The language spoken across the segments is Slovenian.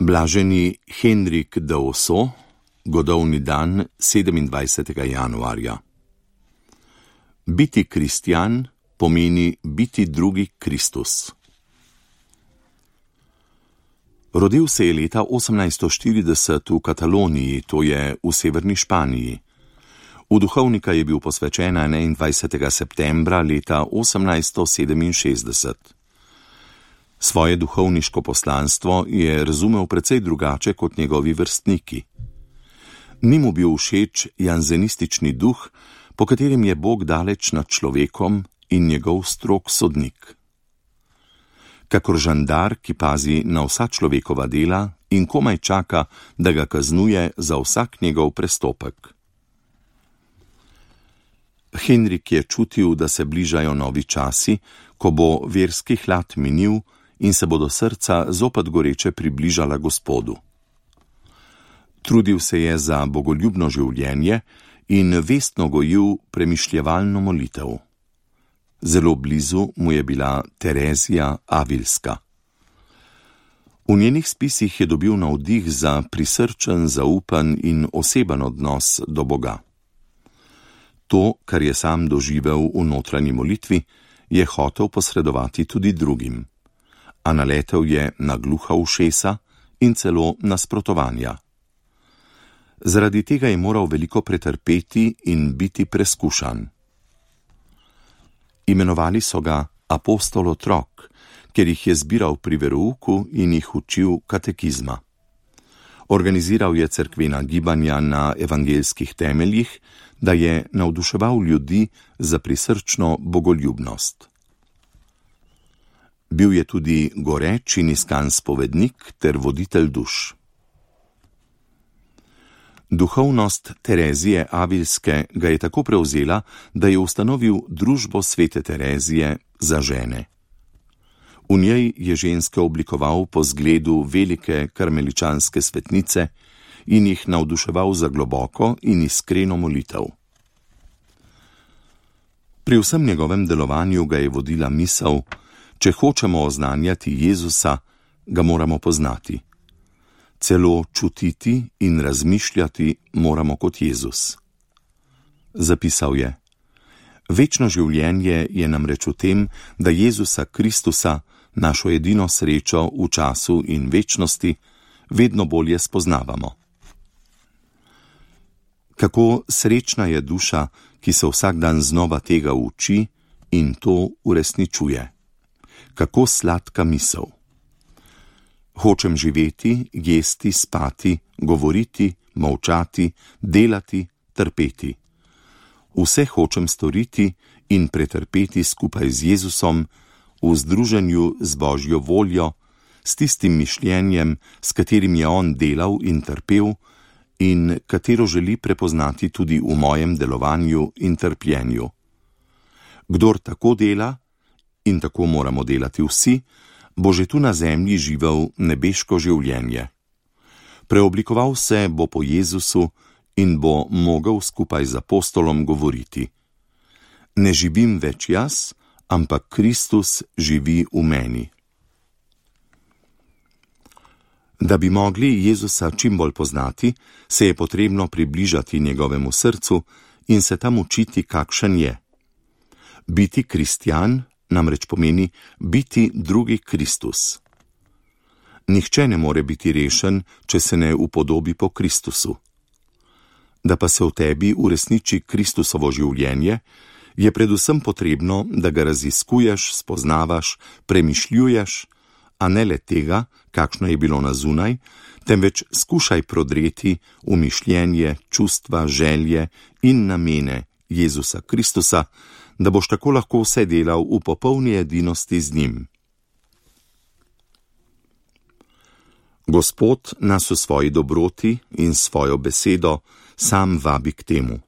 Blaženi Henrik d'Ossau, godovni dan 27. januarja. Biti kristjan pomeni biti drugi Kristus. Rodil se je leta 1840 v Kataloniji, to je v severni Španiji. V duhovnika je bil posvečen 21. septembra leta 1867. Svoje duhovniško poslanstvo je razumel precej drugače kot njegovi vrstniki. Ni mu bil všeč janzenistični duh, po katerem je Bog daleč nad človekom in njegov strog sodnik. Kakor žandar, ki pazi na vsa človekova dela in komaj čaka, da ga kaznuje za vsak njegov prestopek. Henrik je čutil, da se bližajo novi časi, ko bo verski hlad minil in se bodo srca zopet goreče približala Gospodu. Trudil se je za bogoljubno življenje in vestno gojil premišljevalno molitev. Zelo blizu mu je bila Terezija Avilska. V njenih spisih je dobil navdih za prisrčen, zaupen in oseben odnos do Boga. To, kar je sam doživel v notranji molitvi, je hotel posredovati tudi drugim, a naletel je na gluha ušesa in celo nasprotovanja. Zaradi tega je moral veliko pretrpeti in biti preskušan. Imenovali so ga apostol otrok, ker jih je zbiral pri verouku in jih učil katekizma. Organiziral je cerkvena gibanja na evangeljskih temeljih, da je navduševal ljudi za prisrčno bogoljubnost. Bil je tudi goreč in iskan spovednik ter voditelj duš. Duhovnost Terezije Avilske ga je tako prevzela, da je ustanovil družbo svete Terezije za žene. V njej je ženske oblikoval po zgledu velike karmeličanske svetnice in jih navduševal za globoko in iskreno molitev. Pri vsem njegovem delovanju ga je vodila misel: če hočemo oznanjati Jezusa, ga moramo poznati. Celo čutiti in razmišljati moramo kot Jezus. Zapisal je: večno življenje je namreč v tem, da Jezusa Kristusa, našo edino srečo v času in večnosti, vedno bolje spoznavamo. Kako srečna je duša, ki se vsak dan znova tega uči in to uresničuje. Kako sladka misel. Hočem živeti, jesti, spati, govoriti, molčati, delati, trpeti. Vse hočem storiti in pretrpeti skupaj z Jezusom, v združenju z Božjo voljo, s tistim mišljenjem, s katerim je on delal in trpel in katero želi prepoznati tudi v mojem delovanju in trpljenju. Kdor tako dela, in tako moramo delati vsi, bo že tu na zemlji živel nebeško življenje. Preoblikoval se bo po Jezusu in bo mogel skupaj z apostolom govoriti: ne živim več jaz, ampak Kristus živi v meni. Da bi mogli Jezusa čim bolj poznati, se je potrebno približati njegovemu srcu in se tam učiti, kakšen je. Biti kristjan namreč pomeni biti drugi Kristus. Nihče ne more biti rešen, če se ne upodobi po Kristusu. Da pa se v tebi uresniči Kristusovo življenje, je predvsem potrebno, da ga raziskuješ, spoznavaš, premišljuješ, a ne le tega, kakšno je bilo na zunaj, temveč skušaj prodreti v mišljenje, čustva, želje in namene Jezusa Kristusa, da boš tako lahko vse delal v popolni edinosti z njim. Gospod nas v svoji dobroti in svojo besedo sam vabi k temu.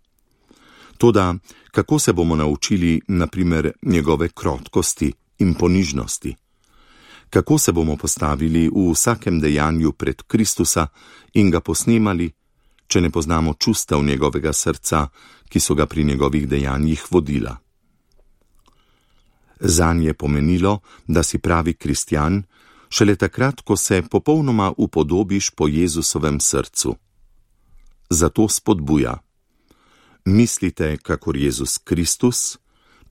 Toda, kako se bomo naučili, na primer, njegove krotkosti in ponižnosti? Kako se bomo postavili v vsakem dejanju pred Kristusa in ga posnemali, če ne poznamo čustev njegovega srca, ki so ga pri njegovih dejanjih vodila? Zanj je pomenilo, da si pravi kristjan, Šele takrat, ko se popolnoma upodobiš po Jezusovem srcu. Zato spodbuja: mislite, kakor Jezus Kristus,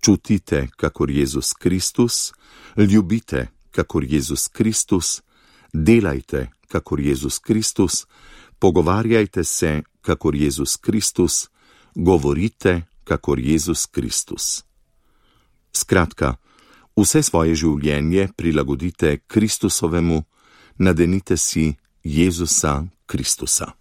čutite, kakor Jezus Kristus, ljubite, kakor Jezus Kristus, delajte, kakor Jezus Kristus, pogovarjajte se, kakor Jezus Kristus, govorite, kakor Jezus Kristus. Skratka, vse svoje življenje prilagodite Kristusovemu, nadenite si Jezusa Kristusa.